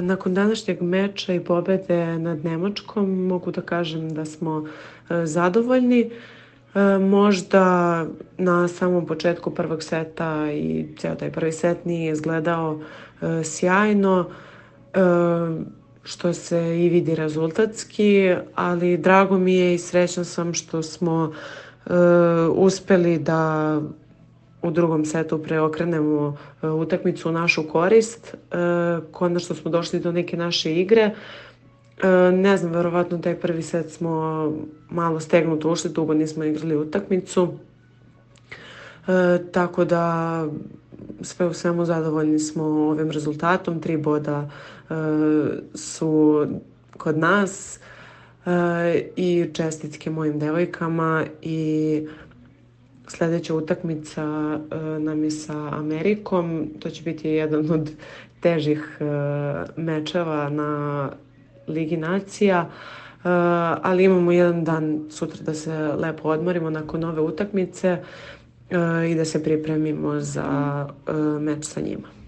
Nakon današnjeg meča i pobede nad Nemačkom mogu da kažem da smo zadovoljni. Možda na samom početku prvog seta i ceo taj prvi set nije izgledao sjajno, što se i vidi rezultatski, ali drago mi je i srećna sam što smo uspeli da u drugom setu preokrenemo utakmicu u našu korist. Konačno smo došli do neke naše igre. Ne znam, verovatno taj prvi set smo malo stegnuto ušli, dugo nismo igrali utakmicu. Tako da sve u svemu zadovoljni smo ovim rezultatom. 3 boda su kod nas i čestitke mojim devojkama i sledeća utakmica nam je sa Amerikom. To će biti jedan od težih mečeva na Ligi nacija, ali imamo jedan dan sutra da se lepo odmorimo nakon ove utakmice i da se pripremimo za meč sa njima.